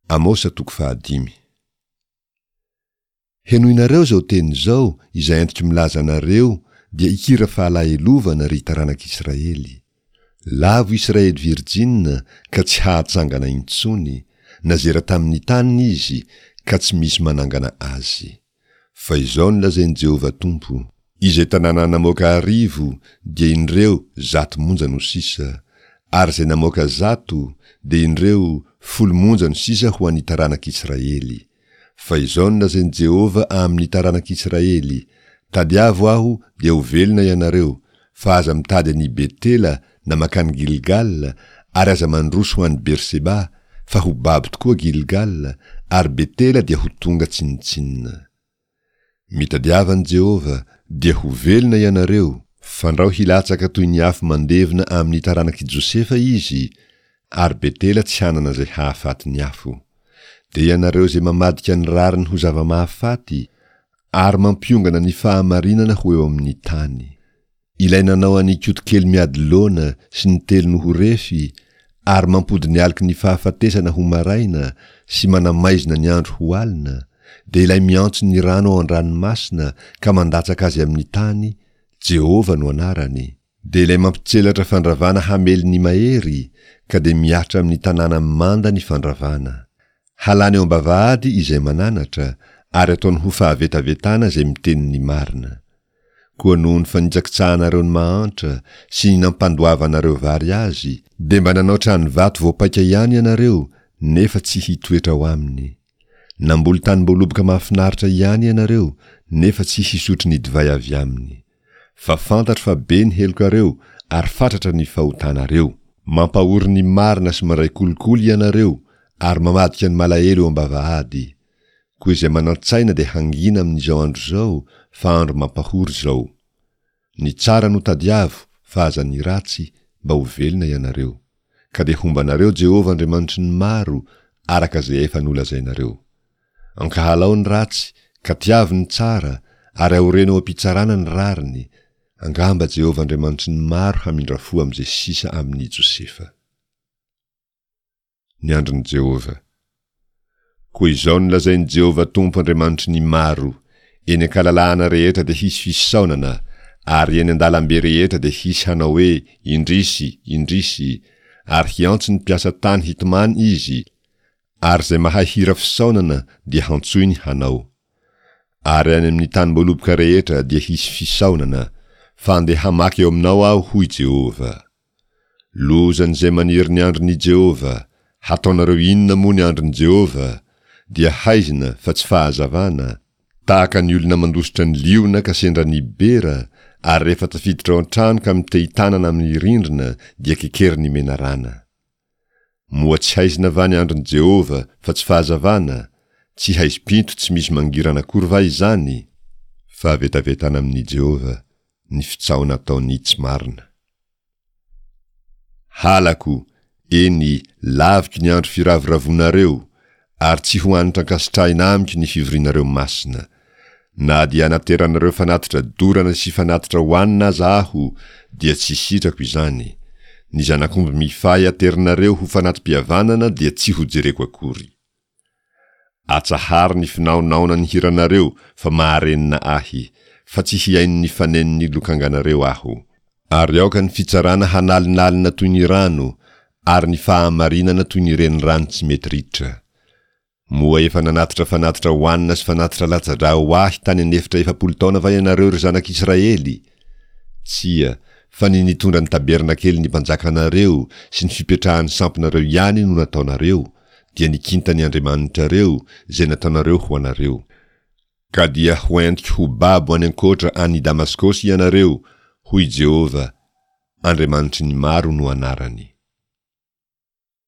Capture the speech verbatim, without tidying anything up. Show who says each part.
Speaker 1: Amosa toko fahadimy. Henoinareo izao teny izao izay entiko milaza anareo dia hikira fahalahelovana ry taranak'Israely. Lavo Israely virjina ka tsy hahatsangana intsony, nazera tamin'ny taniny izy ka tsy misy manangana azy. Fa izao no lazain'i Jehovah Tompo, Izay tanàna namoaka arivo, dia indreo, zato monja no sisa, ary izay namoaka zato, dia indreo, folo monja no sisa ho an'ny taranak'Israely. Fa izao no lazain'i Jehovah amin'ny taranak'Israely, Tadiavo Aho, dia ho velona ianareo, fa aza mitady an'i Betela na mankany Gilgala, ary aza mandroso ho any Berseba, fa ho babo tokoa Gilgala, ary Betela dia ho tonga tsinontsinona. Mitadiava an'i Jehovah, dia ho velona ianareo, fandrao hilatsaka toy ny afo mandevona amin'ny taranak'i Josefa izy, ary Betela tsy hanana izay hahafaty ny afo. Dia ianareo izay mamadika ny rariny ho zava-mahafaty, ary mampiongana ny fahamarinana ho eo amin'ny tany. Ilay nanao an'i Kotokely miady loana sy ny telo no ho refy, ary mampody ny aloky ny fahafatesana ho maraina sy manamaizina ny andro ho alina, dia ilay miantso ny rano ao an-dranomasina ka mandatsaka azy amin'ny tany, Jehovah no anarany, dia ilay mampitselatra fandravana hamely ny mahery, ka dia mihatra amin'ny tanàna manda ny fandravana. Halany eo am-bavahady izay mananatra, ary ataony ho fahavetavetana izay miteny ny marina. Koa noho ny fanitsakitsahanareo ny mahantra sy ny nampandoavanareo vary azy, dia mba nanao trano vato voapaika ihany ianareo, nefa tsy hitoetra ao aminy. Namboly tanim-boaloboka mahafinaritra ihany ianareo, nefa tsy hisotro ny divay avy aminy. Fa fantatro fa be ny helokareo ary fatratra ny fahotanareo. Mampahory ny marina sy mandray kolikoly ianareo ary mamadika ny malahelo eo am-bavahady. Koa izay manan-tsaina dia hangina amin'izao andro izao, fa andro mampahory izao. Ny tsara no tadiavo, fa aza ny ratsy, mba ho velona ianareo. Ka dia homba anareo Jehovah Andriamanitry ny maro, araka izay efa nolazainareo. Ankahalao ny ratsy, ka tiavo ny tsara, ary aoreno ao am-pitsarana ny rariny, angamba Jehovah Andriamanitry ny maro hamindra fo amin'izay sisa amin'i Josefa. Ny andron'i Jehovah. Koa izao no lazain'i Jehovah Tompo Andriamanitry ny maro, Eny an-kalalahana rehetra dia hisy fisaonana, ary eny an-dalambe rehetra dia hisy hanao hoe, Indrisy! Indrisy! Ary hiantso ny mpiasa tany hitomany izy, ary izay mahay hira fisaonana dia hantsoiny hanao. Ary any amin'ny tanim-boaloboka rehetra dia hisy fisaonana, fa andeha hamaky eo aminao aho, hoy Jehovah. Lozan'izay maniry ny andron'i Jehovah! Hataonareo inona moa ny andron'i Jehovah? Dia haizina, fa tsy fahazavana, tahaka ny olona mandositra ny liona ka sendra ny bera, ary rehefa tafiditra ao an-trano ka mitehi-tanana amin'ny rindrina, dia kekerin'ny menarana. Moa tsy haizina va ny andron'i Jehovah, fa tsy fahazavana? Tsy haizim-pinto tsy misy mangirana akory va izany? Fahavetavetana amin'i Jehovah ny fitsaoana ataon'ny tsy marina. Halako, eny, laviko ny andro firavoravoanareo, ary tsy ho hanitra ankasitrahina amiko ny fivorianareo masina. Na dia anateranareo fanatitra dorana sy fanatitra hohanina aza aho, dia tsy sitrako izany. Ny zanak'omby mifahy aterinareo ho fanati-pihavanana dia tsy hojereko akory. Atsaharo ny finaonaonan'ny hiranareo fa maharenina ahy, fa tsy hihaino ny fanenon'ny lokanganareo aho. Ary aoka ny fitsarana hanalinalina toy ny rano, ary ny fahamarinana toy ny renirano tsy mety ritra. Moa efa nanatitra fanatitra hohanina sy fanatitra latsa-drà ho ahy tany an'efitra efapolo taona va ianareo, ry zanak'Israely? Tsia, fa ny nitondra ny tabernakelin'ny mpanjakanareo sy ny fipetrahan'ny sampinareo ihany no nataonareo, dia ny kintan'ny andriamanitrareo, izay nataonareo ho anareo. Ka dia hoentiko ho babo any ankoatra any Damaskosy ianareo, hoy Jehovah, Andriamanitry ny maro no anarany.